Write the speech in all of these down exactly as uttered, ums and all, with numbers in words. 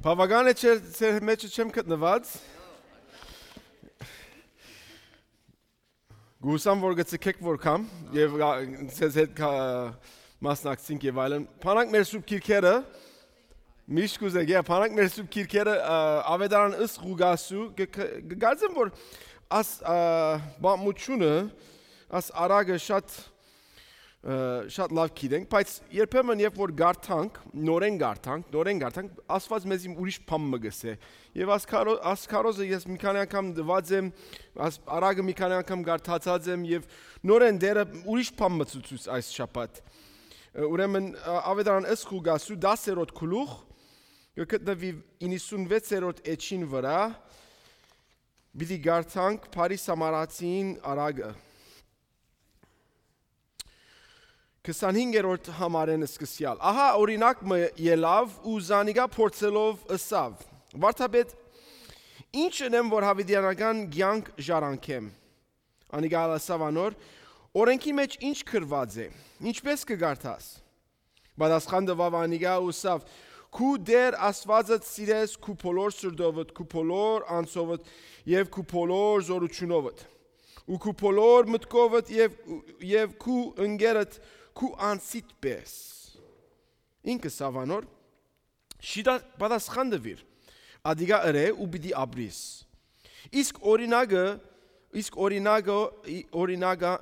Բաւական է, չէ՞, ձեր մէջը չեմ գտնուած։ Գուսամ որ գցեք որ կամ, եւ գա-, ձեզ հետ կա-, մասնակցենք եւ այլն։ Փանակ մեր սուրբ քիրքերը, միշտ կուզեք, yeah, փանակ մեր սուրբ քիրքերը, ա, Ավետարան ըստ Ղուկասու, գ-, գ-, գկարծեմ որ աս, ա, բամությունը, աս արագը շատ, ը, շատ լավ գիտենք, բայց երբեմն երբ որ գարթանք, նորեն գարթանք, նորեն գարթանք, Աստված մեզի ուրիշ բան մը գսե։ Եւ աս քարո-, աս քարոզը ես մի քանի անգամ դված եմ, աս արագը մի քանի անգամ գարթացած եմ եւ նորեն դերը ուրիշ բան մը ցուցուց այս շաբաթ։ Ը, ուրեմն, ա, Ավետարան ըստ Ղուկասու դասերորդ գլուխ կը գտնուի իննսունվեցերորդ էջին վրայ, պիտի գարթանք Փարի Սամարացին արագը։ Քսանհինգերորդ համարէն սկսեալ։ Ահա օրինակ մը ելաւ ու զանիկա փորձելով ըսաւ. «Վարդապետ, ի՞նչ ընեմ որ յաւիտեանական կեանք ժառանգեմ»։ Անիկա ալ ըսաւ անոր. «Օրէնքի մէջ ի՞նչ գրուած է, ինչպէս կը կարդաս»։ Պատասխան տուաւ անիկա ու ըսաւ. «Քու Տէր Աստուածդ սիրես քու բոլոր սրտովդ, քու բոլոր անձովդ եւ քու բոլոր զօրութիւնովդ, ու քու բոլոր մտքովդ եւ, եւ քու ընկերդ քու անձիդ պէս»։ Ինք ըսաւ անոր. «Շիտա պատասխան տուիր, ադիկա ըրէ ու պիտի ապրիս»։ Իսկ օրինակը, իսկ օրինակը, ի-, օրինակա-,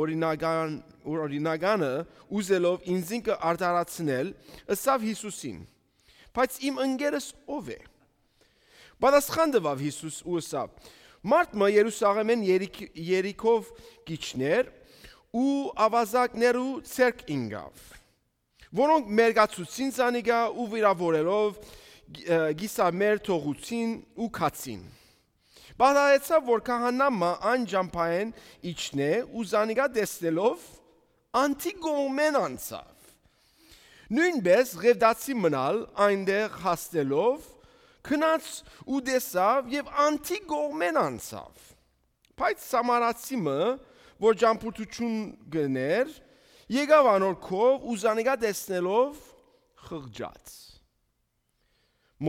օրինական, օրինականը ուզելով ինքզինքը արդարացնել, ըսաւ Յիսուսին. «Բայց իմ ընկերս ո՞վ է»։ Պատասխան տուաւ Յիսուս ու ըսաւ. «Մարդ մը Երուսաղէմէն Երիք-, Երիքով կ'իջնէր ու աւազակներու ձեռք ինկաւ, որոնք մերկացուցին զանիկա ու վիրաւորելով, ը, կիսամեր թողուցին ու գացին։ Պատահեցաւ որ քահանայ մը այն ճամբայէն իջնէ ու զանիկա տեսնելով, անդի կողմէն անցաւ։ Նոյնպէս Ղեւտացի մըն ալ այնտեղ հասնելով, գնաց ու տեսաւ եւ անդի կողմէն անցաւ։ Բայց Սամարացի մը, որ ճամբորդութիւն գներ, եկաւ անոր քով ու զանիկա տեսնելով՝ խղճաց։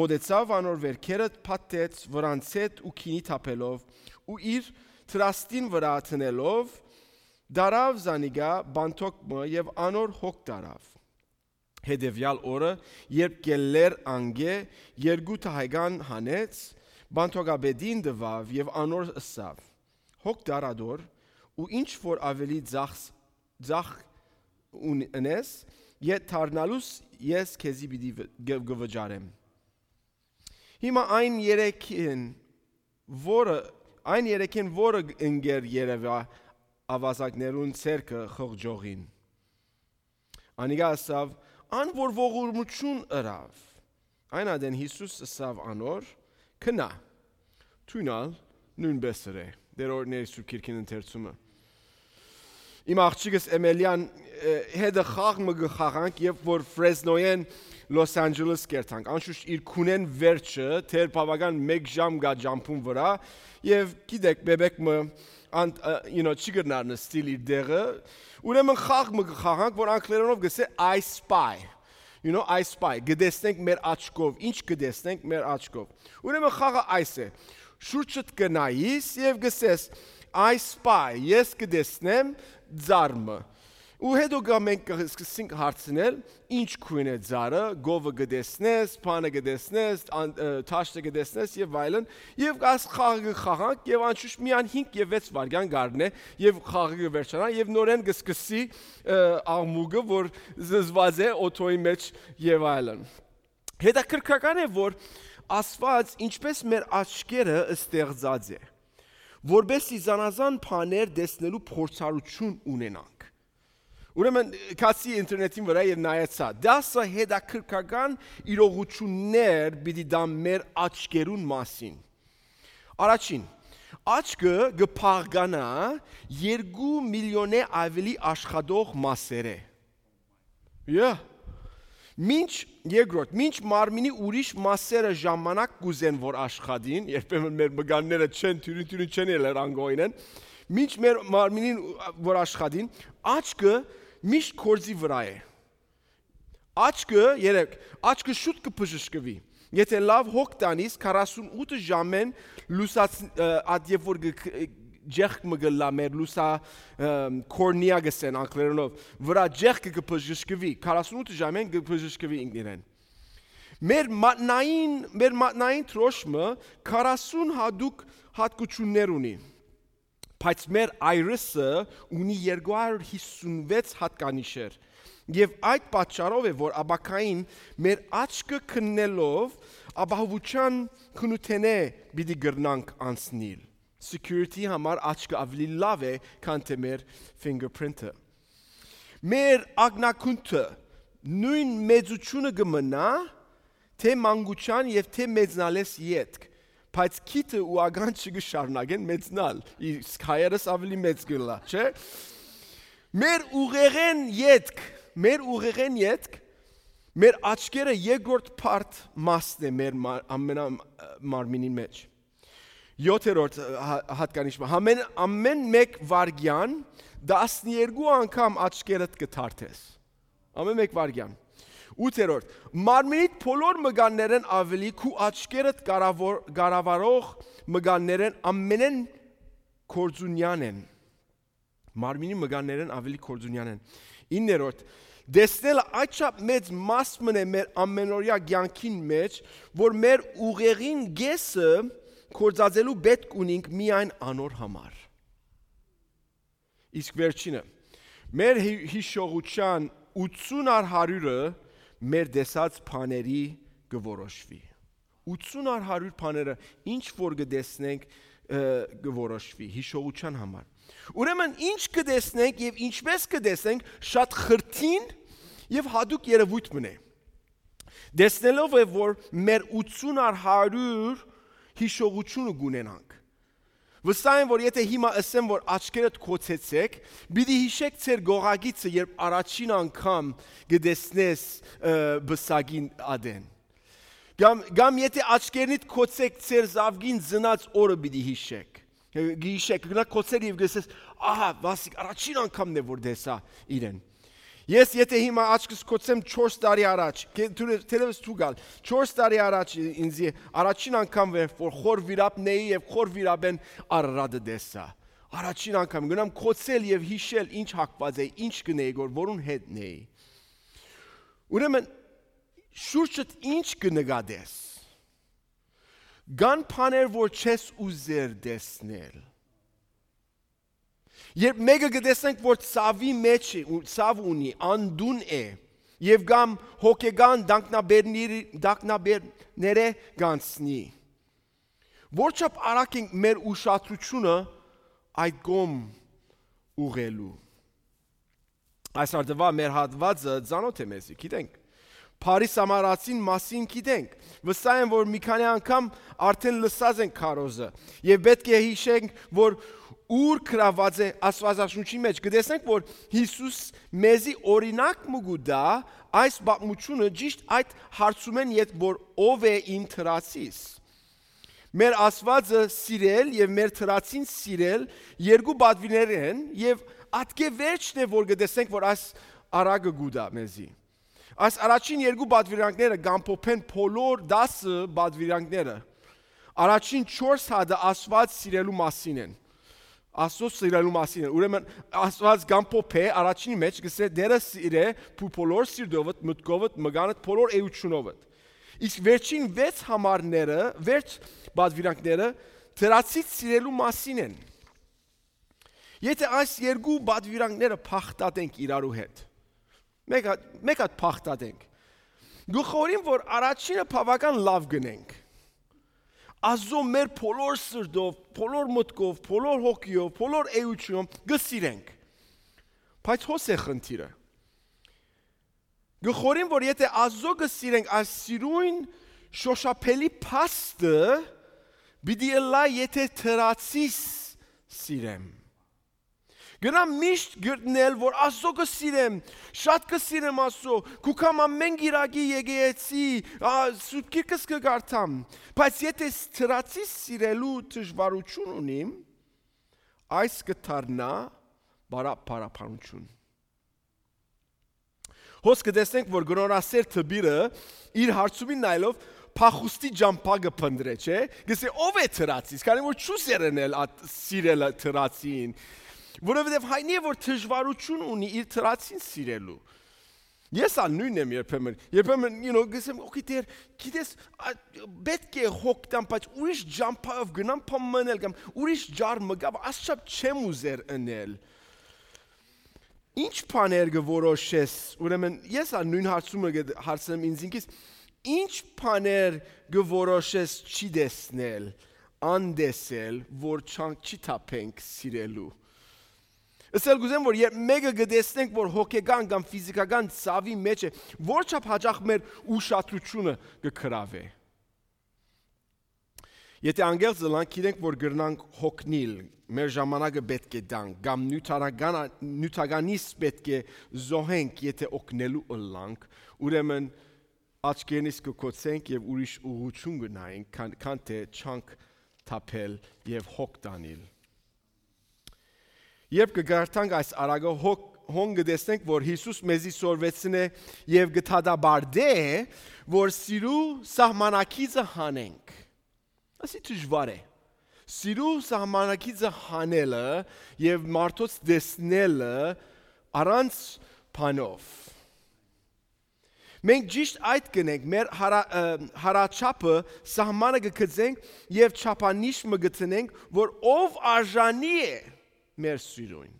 Մօտեցաւ անոր վերքերը, փաթթեց վրանց հետ ու գինի թափելով ու իր դրաստին վրայ դնելով, դարաւ զանիկա բանթոկ մը եւ անոր հոգ դարաւ։ Հետեւեալ օրը, երբ կ'ելլէր անկէ, երկու դահեկան հանեց, բանթոկապետին տուաւ եւ անոր ըսաւ. «Հոգ դար ատոր ու ինչ որ աւելի ձախ, ձախ ունես, ետ դառնալուս ես քեզի պիտի վ-, գ-, կը վճարեմ»։ Հիմա այն երեքին, որը, այն երեքին, որը ընկեր երեւա աւազակներուն ձեռքը խղճողին։ Անիկա ըսաւ. «Ան որ ողորմութիւն ըրաւ»։ Այն ատեն Յիսուս ըսաւ անոր. «Գնա, դուն ալ նոյնպէս ըրէ»։ Տէր օրհներ Սուրբ Քիրքին ընթերցումը։ Իմ աղջիկս Էմելիան, ը, հետը խաղ մը կը խաղանք, երբ որ Ֆրեզնոյէն Լոս Անջելես կերթանք։ Անշուշտ իր քունեն վերջը, դեռ բաւական մէկ ժամ կայ ճամբուն վրայ, եւ գիտեք, բեբեկ մը, ան-, ը, you know, չի կրնար նստիլ իր դեղը, ուրեմն խաղ մը կը խաղանք, որ անգլերենով կ'ըսէ I spy։ You know, I spy, կը տեսնենք մեր աչքով, ինչ կը տեսնենք մեր աչքով։ Ուրեմն խաղը այս է. շուրջդ կը նայիս եւ կ'ըսես. «I spy, ես կը տեսնեմ ձար մը»։ Ու հետո գա մենք կը սկսենք հարցնել, ինչ քոյն է ձարը, գովը կը տեսնես, բանը կը տեսնես, ան-, ը, թաշտը կը տեսնես եւ այլն, եւ այս խաղը կը խաղանք, եւ անշուշտ միան հինգ եւ վեց վայրկյան կ'առնէ, եւ խաղը կը վերջանայ, եւ նորէն կը սկսի, ը, աղմուկը, որ զզված է օթոյի մեջ եւ այլն։ Հետաքրքրական է, որ Աստված ինչպես մեր աչքերը ստեղծած է, որպեսզի զանազան բաներ տեսնելու փորձառություն ունենանք։ Ուրեմն, գացի ինտերնետին վրայ եւ նայեցայ, դասը հետաքրքրական իրողություններ պիտի տան մեր աչքերուն մասին։ Առաջին, աչքը կը փաղկանայ երկու միլիոնէ աւելի աշխատող մասերէ։ Yeah. Մինչ, երկրորդ, մինչ մարմինի ուրիշ մասերը ժամանակ կ'ուզեն որ աշխատին, երբեմն մեր մկանները չեն, թիւրին-թիւրին չեն ելեր անգողինեն, մինչ մեր մարմինին որ աշխատին, աչքը միշտ գործի վրայ է։ Աչքը, երեք, աչքը շուտ կը բժշկուի։ Եթե լաւ հոգ տանիս, քառասունութ ժամեն լուսաց-, ը, ատ երբ որ գ-, գ-, ջեղք մը գլլայ մեր լուսա-, ը, կորնիա գսեն անգլերենով, վրայ ջեղքը կը բժշկուի, քառասունութ ժամեն կը բժշկուի ինքնիրեն։ Մեր մատնային, մեր մատնային դրոշմը քառասուն հատուկ հատկություններ ունի, բայց մեր iris-ը ունի երկու հարյուր հիսուն վեց հատկանիշեր, եւ այդ պատճառով է, որ ապագային մեր աչքը քննելով ապահովութեան քնութենէ պիտի կրնանք անցնիլ։ Security համար աչքը ավելի լաւ է, քան թե մեր fingerprint-ը։ Մեր ակնակունքը նոյն մեծութիւնը կը մնայ, թէ մանկութեան եւ թէ մեծնալէս ետք, բայց քիթը ու ականջը կը շարունակեն մեծնալ, իսկ հայերս ավելի մեծ կ'ըլլայ, չէ՞։ Մեր ուղեղէն ետք, մեր ուղեղէն ետք, մեր աչքերը երկրորդ բարդ մասն է մեր մար-, ամենա-, մարմինին մեջ։ Յոթերորդ, ը, հա-, հատկանիշ մը, ամեն, ամեն մեկ վարկեան տասներկու անգամ աչքերդ կը թարթես։ Ամեն մեկ վարկեան։ Ութերորդ, մարմինիդ բոլոր մկաններէն ավելի քու աչքերդ կառավոր-, կառավարող մկաններէն ամենէն կորձունեան են։ Մարմինի մկաններէն ավելի կորձունեան են։ Իններորդ, տեսնելը այդ չափ մեծ մաս մն է մեր ամենօրյա կեանքին մեջ, որ մեր ուղեղին կեսը կործածելու պէտք ունինք միայն անոր համար։ Իսկ վերջինը, մեր հի-, հիշողութեան ութսուն առ հարիւրը մեր տեսած բաների կը որոշուի։ Ութսուն առ հարիւր բաները, ինչ որ կը տեսնենք, ը, կը որոշուի հիշողութեան համար։ Ուրեմն, ինչ կը տեսնենք եւ ինչպես կը տեսնենք, շատ խրթին եւ հատուկ երեւոյթ մն է։ Տեսնելով է, որ մեր ութսուն առ հարիւր հիշողութիւնը կունենանք։ Վստահ եմ, որ եթե հիմա ըսեմ, որ աչքերդ կոցեցեք, պիտի յիշեք ձեր գողագիծը, երբ առաջին անգամ կը տեսնես, ը, պսակին ատեն։ Կամ, կամ եթե աչքերնիդ կոցեք, ձեր զաւկին ծնած օրը պիտի յիշեք։ Ը, գիշեր, կը գնաք կոցել եւ կ'ըսես, «Ահա, Վասիկ, առաջին անգամն է, որ տեսայ իրեն»։ Ես եթե հիմա աչքս կոցեմ չորս տարի առաջ, կե-, թու-, թերեւս դու գալ, չորս տարի առաջ ինձի առաջին անգամ էր, որ խոր վիրապն էի եւ խոր վիրապեն Արարատը տեսայ։ Առաջին անգամ գնամ կոցել եւ յիշել ինչ հագուած էի, ինչ կ'ընէի, որ որուն հետն էի։ Ուրեմն, շուրջդ ինչ կը նկատես։ Կան բաներ, որ չես ուզեր տեսնել։ Երբ մէկը կը տեսնենք, որ ցաւի մեջ է, ու ցաւ ունի, անդուն է, եւ կամ հոգեկան տագնապերների-, տագնապերներէ կանցնի, որչափ արագ ենք մեր ուշադրութիւնը այդ կողմ ուղղելու։ Այս արտուա մեր հատուածը ծանոթ է մեզի, գիտենք։ Փարի Սամարացին մասին գիտենք։ Վստահ եմ, որ մի քանի անգամ արդեն լսած ենք քարոզը։ Եւ պէտք է յիշենք, որ ուր գրաւած է Աստուածաշունչի մեջ։ Կտեսնենք, որ Յիսուս մեզի օրինակ մը կու տայ այս պատմութիւնը ճիշդ այդ հարցումէն ետք, որ ով է իմ թրացիս։ Մեր Աստուածը սիրել եւ մեր թրացին սիրել երկու պատուիրներ են, եւ ատկէ վերջն է, որ կտեսնենք, որ այս արագը կու տայ մեզի։ Այս առաջին երկու պատվիրանքները կ'ամփոփեն բոլոր տասը պատվիրանքները։ Առաջին չորս հատը Աստուած սիրելու մասին են։ Աստուած սիրելու մասին են։ Ուրեմն Աստուած կ'ամփոփէ առաջինի մեջ, կ'ըսէ, «Տէրը սիրէ փու բոլոր սիրտովդ, մտքովդ, մկանդ, բոլոր էութիւնովդ»։ Իսկ վերջին վեց համարները, վերջ պատվիրանքները թրացից սիրելու մասին են։ Եթե այս երկու պատվիրանքները փախտատենք իրարու հետ, մեկ հատ, մեկ հատ փախտատենք, գլխորին, որ առաջինը բավական լաւ գնենք, Աստուծոյ մեր բոլոր սրտով, բոլոր մտքով, բոլոր հոգիով, բոլոր էութիւնով կը սիրենք։ Բայց հոս է խնդիրը։ Գլխորին, որ եթե Աստուծոյ կը սիրենք, այս սիրուն շոշափելի փաստը պիտի ըլլայ, եթե թրացիս սիրեմ։ Գնամ միշտ գտնել, որ Աստուծոյ կը սիրեմ, շատ կը սիրեմ Աստուծոյ, կու գամ ամեն կիրակի եկեղեցի, ա, Սուրբ Գիրքս կը կարդամ, բայց եթե ս-, թրացիս սիրելու դժվարութիւն ունիմ, այս կը դառնայ բարա-, բարաբանութիւն։ Հոս կը տեսնենք, որ կնորասեր դպիրը իր հարցումին նայելով փախուստի ճամբայ կը փնտռէ, չէ՞։ Կ'ըսէ, "Ո՞վ է թրացիս", քանի որ չուզեր ընել այդ սիրելը թրացին, որովհետեւ հայտնի է, որ դժուարութիւն ունի իր թրացին սիրելու։ Ես ալ նոյնն եմ երբեմն, երբեմն, you know, կ'ըսեմ, "Okay, Տէր, գիտես, ա, պէտք է հոգ տամ, բայց ուրիշ ճամբայով գնամ, բան մը ընել կամ ուրիշ ճար մը գամ, ասչափ չեմ ուզեր ընել"։ Ինչ բաներ կը որոշես, ուրեմն ես ա նոյն հարցումը կը հարցնեմ ինձ ինքիս, ինչ բաներ կը որոշես չի տեսնել, անտեսել, որ չանք չի թափենք սիրելու։ Ըսել կուզեմ, որ երբ մեկը կը տեսնենք, որ հոգեկան կամ ֆիզիկական ցաւի մեջ է, որչափ հաճախ մեր ուշադրությունը կը գրաւէ։ Եթե անկեղծ ըլանք, գիտենք, որ կրնանք հոգնիլ, մեր ժամանակը պէտք է տանք, կամ նիւթական-, նիւթականից պէտք է զոհենք, եթե օգնելու ըլլանք, ուրեմն աչքերնից կը կոցենք եւ ուրիշ ուղղութիւն կը նայենք, քան, քան թէ չանք թափել եւ հոգ տանիլ։ Երբ կը կարդանք այս արագը, հոգ-, հոն կը տեսնենք, որ Յիսուս մեզի սորվեցնէ եւ կը դատապարտէ, որ սիրու սահմանակիցը հանենք։ Ասի դժուար է։ Սիրու սահմանակիցը հանելը եւ մարդոց տեսնելը առանց բանով։ Մենք ճիշտ այդ կ'ընենք, մեր հարա-, ը, հարաչափը, սահմանը կը գծենք եւ չափանիշ մը կը դնենք, որ ով արժանի է մեր սիրոյն։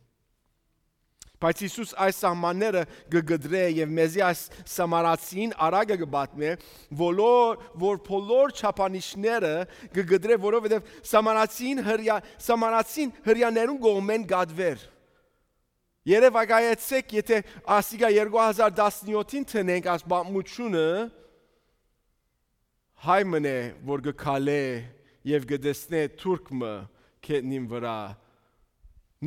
Բայց Յիսուս այս սահմանները կը կտրէ եւ մեզի այս սամարացին արագը կը պատմէ, բոլոր, որ բոլոր չափանիշները կը կտրէ, որովհետեւ սամարացին հրեա-, սամարացին հրեաներուն կողմէն կատուեր։ Երեւակայեցէք, եթե ասիկա երկու հազար տասնեօթին դնենք այս պատմութիւնը, հայ մըն է, որ կը քալէ եւ կը տեսնէ թուրք մը գետնին վրայ,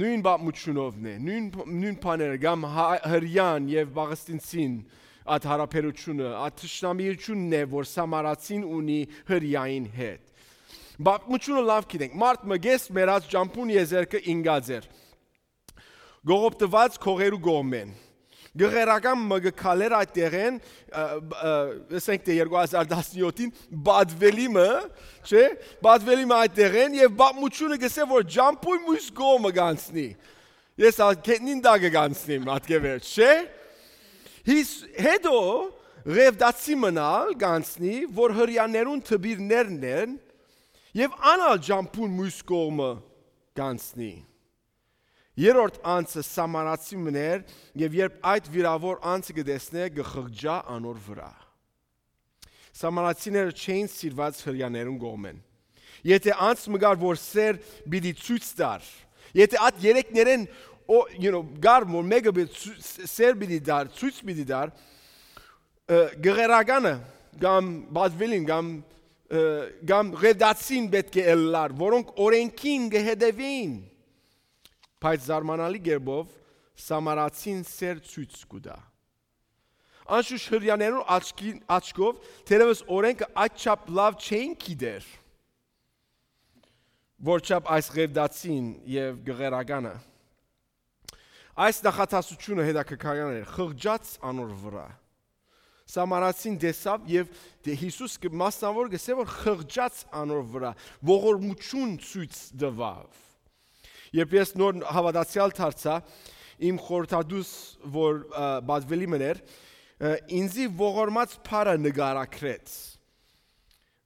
նոյն պատմութիւնովն է, նոյն, նոյն բաները, կամ հայ-, հրեան եւ պաղեստինցին, այդ հարաբերութիւնը, այդ թշնամիութիւնն է, որ սամարացին ունի հրեային հետ։ Պատմութիւնը լաւ գիտենք, մարդ մը կես մեռած ճամբուն եզերքը ինկած էր, կողոպտուած քողերու կողմէն։ Գղերական մը կը քալէր այդ տեղէն, ը, ը, ըսենք թէ երկու հազար տասնեօթին, պատվելի մը, չէ՞, պատվելի մը այդ տեղէն եւ պատմութիւնը կ'ըսէ, որ ճամբոյն մյուս կողմը կ'անցնի։ Ես ա գետնին տակը կ'անցնեմ, ատկեվերջ, չէ՞։ Հիս-, հետո Ղևտացի մնալ կ'անցնի, որ հրեաներուն թպիրներն են, եւ անալ ճամբուն մյուս կողմը կ'անցնի։ Երրորդ անձը սամարացի մներ, եւ երբ այդ վիրաւոր անձը կը տեսնէ, կը խղճայ անոր վրայ։ Սամարացիները չէին սիրուած հրեաներուն կողմէն։ Եթե անձ մը կար, որ սեր պիտի ցոյց տար, եթե այդ երեքներէն, օ-, you know, կար, որ մէկը պիտի ցո-, սեր պիտի տար, ցոյց պիտի տար, ը, գղերականը կամ պատվելին կամ, ը, կամ ղևտացին պէտք է ըլլար, որոնք օրենքին կը հետեւէին, բայց զարմանալի կերպով սամարացին սեր ցոյց կու տայ։ Անշուշտ հրեաներուն աչքի-, աչքով, թերեւս օրենքը այդչափ լաւ չէին գիտեր, որչափ այս ղևտացին եւ գղերականը։ Այս նախադասությունը հետաքրքրական էր, խղճաց անոր վրայ։ Սամարացին տեսաւ եւ դե Յիսուս կը, մասնաւոր կ'ըսէ, որ խղճաց անոր վրայ, ողորմութիւն ցոյց տուաւ։ Երբ ես նոր հաւատացեալ դարձայ, իմ խորհրդատուս, որ, ը, պատվելի մըն էր, ը, ինձի ողորմած փառը նկարագրեց։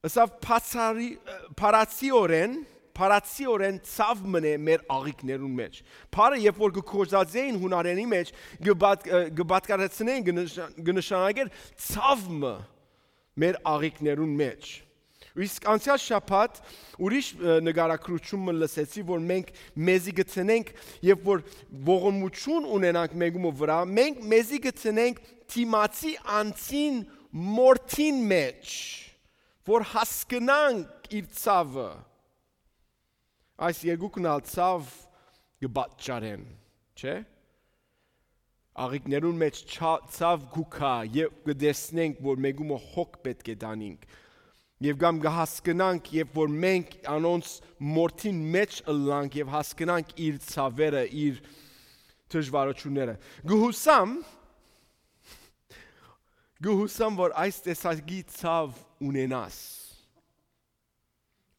Ըսաւ, փարացի-, ը, փարացիօրէն, փարացիօրէն ցաւ մնէ մեր աղիքներուն մեջ։ Փառը, երբ որ կը գործածէին յունարենի մեջ, կը պատ-, ը, կը պատկառեցնէին, կը նշա-, կը նշանակեր ցաւ մը մեր աղիքներուն մեջ։ Իսկ անցեալ շաբաթ ուրիշ, ը, նկարագրութիւն մը լսեցի, որ մենք մեզի գցենենք, երբ որ ողորմութիւն ունենանք մեկումը վրայ, մենք մեզի գցենենք դիմացի անձին մորթին մեջ, որ հասկնանք իր ցաւը։ Այս երկուքն ալ ցաւ կը պատճառեն, չէ՞։ Աղիքներուն մեջ չա-, ցաւ կու գայ, եւ կը տեսնենք, որ մեկումը հոգ պէտք է տանինք։ Եւ կամ կը հասկնանք, երբ որ մենք անոնց մորթին մեջ ըլլանք եւ հասկնանք իր ցաւերը, իր դժվարությունները։ Կը յուսամ, Կը յուսամ որ այս տեսակի ցաւ ունենաս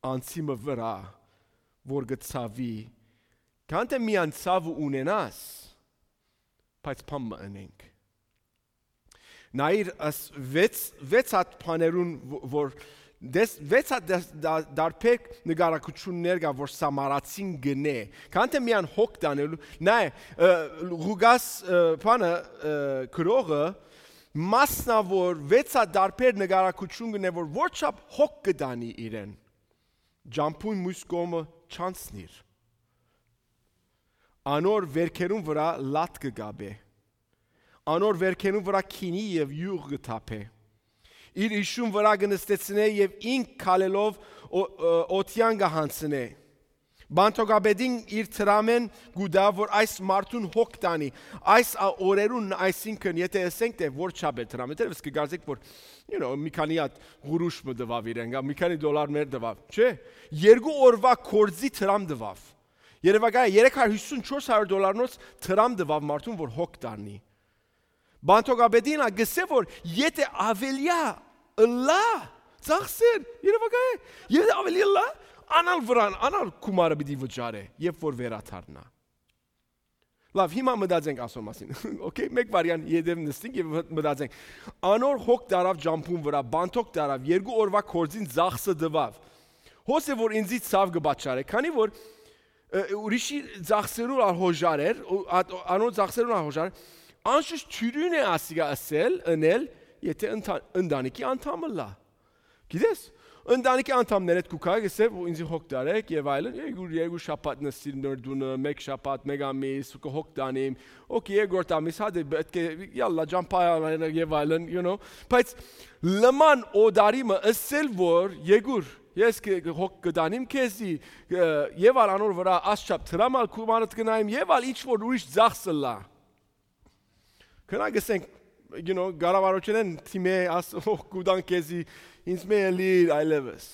անձի մը վրայ, որ կը ցաւի, քան թէ միայն ցաւ ունենաս, բայց բան մը ընենք։ Նայիր, աս վեց, վեց հատ բաներուն, ո-, որ դες, վեց հատ դες, դա-, դարբեր նկարագրութիւններ կայ, որ Սամարացին կ'ընէ, քան թէ միայն հոգ տանելու, նայ, ը, Ղուկաս, ը, բանը, ը, գրողը մասնաւոր վեց հատ դարբեր նկարագրութիւն կ'ընէ, որ որչափ հոգ կը տանի իրեն, ճամբուն մյուս կողմը չանցնիր։ Անոր վերքերուն վրայ լատ կը կապէ։ Անոր վերքերուն վրայ քինի եւ իւղ կը թափէ։ Իր իշուն վրայ կը նստեցնէ եւ ինք քալելով օ-, ը, օթեան կը յանցնէ։ Բանթոկապետին իր դրամէն կու տայ, որ այս մարդուն հոգ տանի, այս ա-, օրերուն, այսինքն, եթե ըսենք, թէ որ չափ է դրամը, թերևս կը կարծեք, որ, you know, մի քանի հատ ղուրուշ մը տուաւ իրեն, կամ մի քանի դոլար մեր տուաւ, չէ՞։ Երկու օրվա կորձի դրամ տուաւ։ Երևակայ երեք հարյուր հիսուն, չորս հարյուր դոլարնոց դրամ տուաւ մարդուն, որ հոգ տանի։ Բանթոկապետին ա գսե, որ եթե ավելիա ըլլայ, ծախսեր, երևակայ, եթե ավելի ըլլայ, անալ վրան, անալ գումարը պիտի վճարէ, երբ որ վերադառնայ։ Լավ, հիմա մտածենք ասոր մասին։ Okay, մեկ վարյան ետև նստենք եւ մտ-, մտածենք։ Անոր հոգ տարաւ ճամբուն վրայ, բանթոկ տարաւ, երկու օրվա կորձին ծախսը տուաւ։ Հոս է, որ ինձի ցաւ կը պատճառէ, քանի որ, ը, ուրիշի ծախսերուն ալ հոժար էր, ու ատ-, անոր ծախսերուն ալ հոժար էր, անշուշտ թիւրին է ասիկա ըսել, ընել, եթե ընթա-, ընտանիքի անդամ ըլլայ։ Գիտես, ընտանիքի անդամներ հետ կու գայ, կսե, ու ինձի հոգ տարեք եւ այլն, երկու, երկու շաբաթ նստիր մեր տունը, մեկ շաբաթ, մեկ ամիս, ու կը հոգ տանիմ, օքեյ, երկրորդ ամիս, հա, դե, պետք է, յալլա, ճամփայ անենք եւ այլն, you know, բայց լման օտարի մը ըսել, որ, Եգուր, ես կը, կը հոգ կը տանիմ քեզի, ը, եւ ալ անոր վրայ ասչափ դրամ ալ գումարդ կնայեմ, եւ ալ ինչ որ ուրիշ ծախս ըլլայ։ Քնա գսենք, you know, կառավարութենէն թիմէ աս, օ, կու տան քեզի, ինձ մէ ելի այլեւս։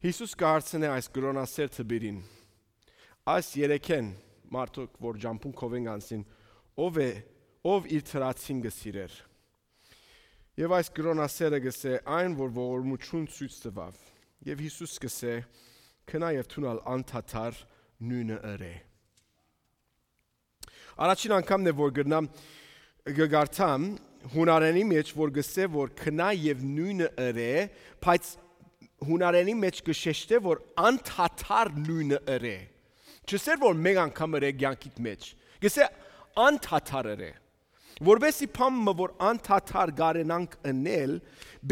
Յիսուս կը հարցնէ այս կրոնասեր դպիրին. «Այս երեքէն, մարդուկ, որ ճամբուն քովեն կանցին, ո՞վ է, ո՞վ իր թրացին կը սիրէր»։ Եւ այս կրոնասերը կ'ըսէ. «Այն, որ ողորմութիւն ցոյց տուաւ»։ Եւ Յիսուս կ'ըսէ. «Քնա եւ դուն ալ անդադար նոյնը ըրէ»։ Առաջին անգամն է, որ կրնամ, կը կարդամ յունարենի մեջ, որ կ'ըսէ, որ քնա եւ նոյնը ըրէ, բայց յունարենի մեջ կը շեշտէ, որ անդադար նոյնը ըրէ։ Չ'ըսէր, որ մէկ անգամ ըրէ կեանքիդ մեջ, կ'ըսէ անդադար ըրէ։ Որպեսզի բան մը, որ անդադար կարենանք ընել,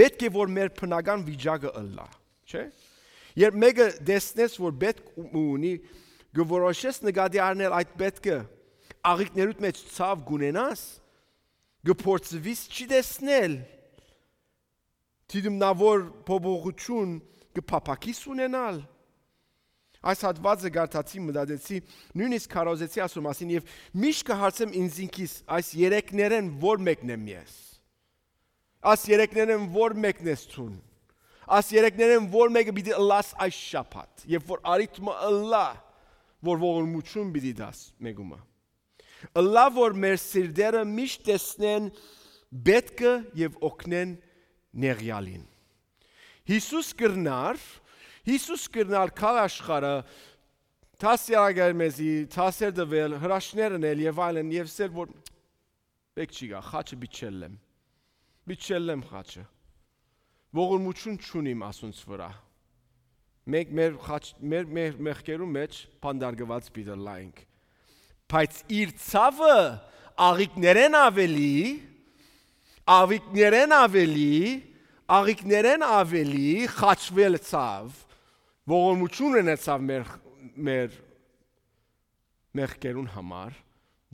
պէտք է, որ մեր բնական վիճակը ըլլայ, չէ՞։ Երբ մէկը տեսնես, որ պէտք ու-, ունի, կը որոշես նկատի առնել այդ պէտքը, աղիքներուդ մեջ ցաւ կունենաս, կը փորձվիս չի տեսնել, դիտումնավոր փոփոխութիւն կը փափաքիս ունենալ։ Այս հատվածը կարդացի, մտածեցի, նոյնիսկ քարոզեցի ասոր մասին եւ միշտ կը հարցեմ ինձ ինքիս, այս երեքներէն ո՞ր մեկն եմ ես։ Այս երեքներէն ո՞ր մեկն ես դուն։ Այս երեքներէն ո՞ր մեկը պիտի ըլլաս այս շաբաթ, երբ որ արիթ մը ըլլայ, որ ողորմութիւն պիտի տաս մեկումը։ Ըլլայ որ մեր սիրտերը միշտ տեսնեն պէտքը եւ օգնեն նեղեալին։ Յիսուս կրնար, Յիսուս կրնար գալ աշխարհը, դասերակայել մեզի, դասեր տուել, հրաշքներ ընել եւ այլն, եւ սեր որ պէտք չի գայ, խաչը պիտի չելլեմ։ Պիտի չելլեմ խաչը։ Ողորմութիւն չունիմ ասոնց վրայ։ Մենք մեր խաչ-, մեր, մեր մեղքերու մեջ փանդարգուած պիտի լայենք։ Բայց իր ցաւը աղիքներէն ավելի, աղիքներէն ավելի, աղիքներէն ավելի խաչվել ցաւ, ողորմութիւն ունեցաւ մեր, մեր մեղքերուն համար,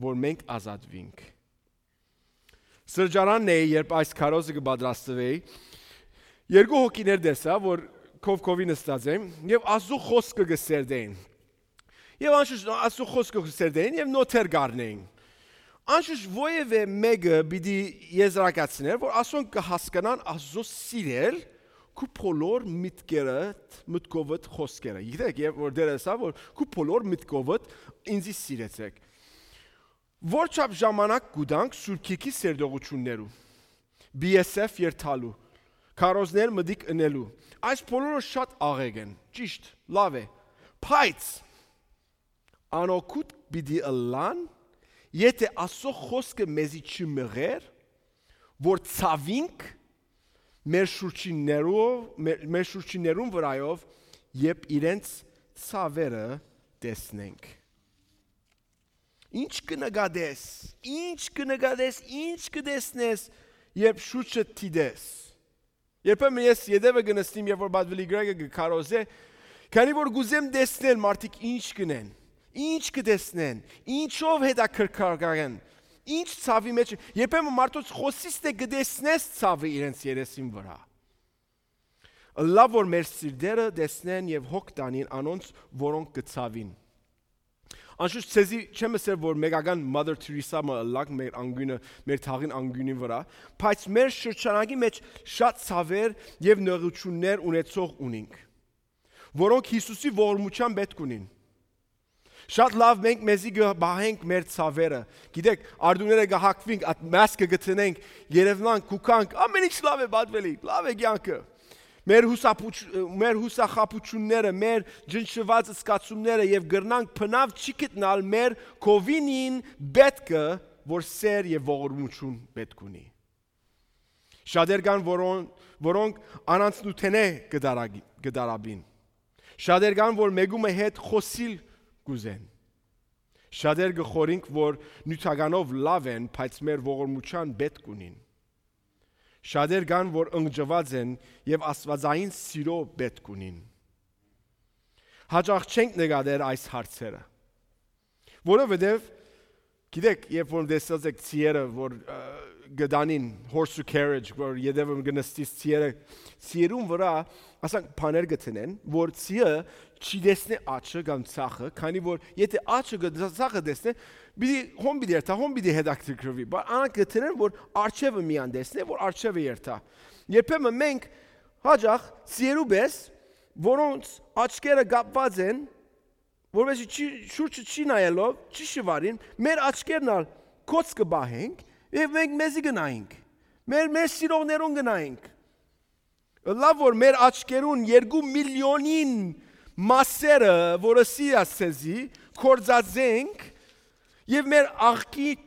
որ մենք ազատուինք։ Սրճարանն էի, երբ այս քարոզը կը պատրաստուէի, երկու հոգիներ տեսայ, որ քով-քովի նստած են եւ Աստուծոյ խօսքը կը սերտեն։ Եւ անշուշտ Աստուծոյ խօսքը կը սերտեն եւ նոթեր կ'առնեն։ Անշուշտ որեւէ մէկը պիտի եզրակացնէր, որ ասոնք կը հասկանան Աստուծոյ սիրել քու բոլոր մտքերդ, մտքովդ, խօսքերը։ Գիտեք, երբ որ Տերը ըսաւ, որ քու բոլոր մտքովդ ինձի սիրեցեք։ Որչափ ժամանակ կու տանք Սուրբ Գիրքի սերտողութիւններու, B S F երթալու, քարոզներ մտիկ ընելու, այս բոլորը շատ աղեկ են, ճիշդ, լաւ է, բայց անօգուտ պիտի ըլլան, եթէ Աստուծոյ խօսքը մեզի չի մղեր, որ ցաւինք մեր շուրջիններով, մեր, մեր շուրջիններուն վրայով, երբ իրենց ցաւերը տեսնենք։ Ինչ կը նկատես, ինչ կը նկատես, ինչ կը տեսնես, երբ շուրջը դիտես։ Երբեմն ես ետևը կը նստիմ, երբ որ Պատվելի Գրեգը կը քարոզէ, քանի որ կ'ուզեմ տեսնել մարդիկ ինչ կ'ընեն, ինչ կը տեսնեն, ինչով հետաքրքրական են, ինչ ցաւի մեջ, երբեմն մարդոց խօսիս թէ կը տեսնես ցաւը իրենց երեսին վրայ։ Լաւ որ մեր սիրտերը տեսնեն եւ հոգ տանին անոնց, որոնք կը ցաւին։ Անշուշտ, ձեզի չեմ ըսեր, որ մեկական Mother Teresa մը ըլլանք մեր անգիւնը, մեր թաղին անգիւնի վրայ, բայց մեր շրջանակի մեջ շատ ցաւեր եւ նեղութիւններ ունեցող ունինք, որոնք Յիսուսի ողորմութեան պէտք ունին։ Շատ լաւ մենք մեզի կը պահենք մեր ցաւերը։ Գիտեք, արտուները կը հագուինք, at mask կը գտնենք, երեւնանք, կուքանք, ամեն ինչ լաւ է, Պատվելի, լաւ է կեանքը։ Մեր հուսափուչ-, մեր յուսախաբութիւնները, մեր ջնջուած զգացումները եւ կրնանք բնաւ չի գտնալ մեր կովինին պէտքը, որ սեր եւ ողորմութիւն պէտք ունի։ Շատեր կան, որոն-, որոնք անանցնութենէ կը դարագի-, կը դարաբին։ Շատեր կան, որ մեկու մը հետ խօսիլ կ'ուզեն։ Շատեր կը խորհինք, որ նիւթականով լաւ են, բայց մեր ողորմութեան պէտք ունին։ Շատեր կան, որ ընկճուած են եւ աստուածային սիրո պէտք ունին։ Հաճախ չենք նկատեր այս հարցերը, որովհետեւ, գիտեք, երբ որ տեսած եք ցիերը, որ, ը, կը տանին horse to carriage, որ ետևը կը նստիս ցիերը, ցիերուն վրայ, ասենք, բաներ կը դնեն, որ ցիը չի տեսնի աջը կամ ձախը, քանի որ եթէ աջը կը, ձախը տեսնէ, պիտի, հոն պիտի երթայ, հոն պիտի հետաքրքրուի, բայց անոնք կը դնեն, որ աջը միայն տեսնէ, որ աջը երթայ։ Երբեմն մենք հաճախ ցիերու պէս, որոնց աչքերը կապուած են, որպեսզի չի, շուրջը չի նայելով, չի շուարին, մեր աչքերն ալ կոց կը պահենք եւ մենք մեզի կը նայենք, մեր, մեր սիրողներուն կը նայենք։ Լաւ որ մեր աչքերուն երկու միլիոնին մասերը, որ ըսի ասեցի, կործածենք եւ մեր աղքի-,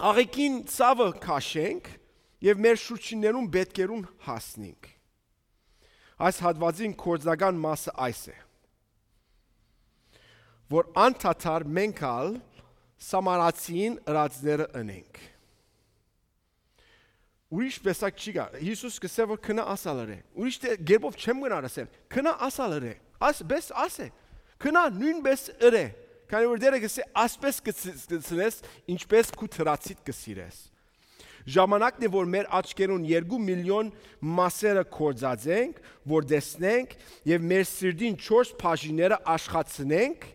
աղեքին ցաւը քաշենք եւ մեր շուրջիններուն պէտքերուն հասնենք։ Այս հատուածին կործնական մասը այս է, որ անդադար մենք ալ սամարացին ըրածները ընենք։ Ուրիշ տեսակ չի գա։ Յիսուս կ'ըսէ, որ քնա ասալ ըրէ։ Ուրիշ դե-, կերպով չեմ գնար ասել։ Քնա ասալ ըրէ։ Աս, պէս ասէ։ Քնա նոյնպէս ըրէ։ Քանի որ Տէրը կ'ըսէ, «Ասպէս կը ց-, կ'ընծնես, ինչպէս քու թրացիդ կը սիրես»։ Ժամանակն է, որ մեր աչքերուն երկու միլիոն մասերը կործածենք, որ տեսնենք եւ մեր սիրտին չորս բաժինները աշխատցնենք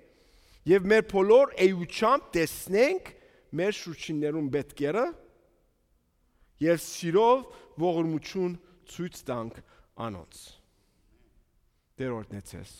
եւ մեր բոլոր էությամբ տեսնենք մեր շուրջիններուն պէտքերը եւ սիրով ողորմութիւն ցոյց տանք անոնց։ Տէր օրհնեցես։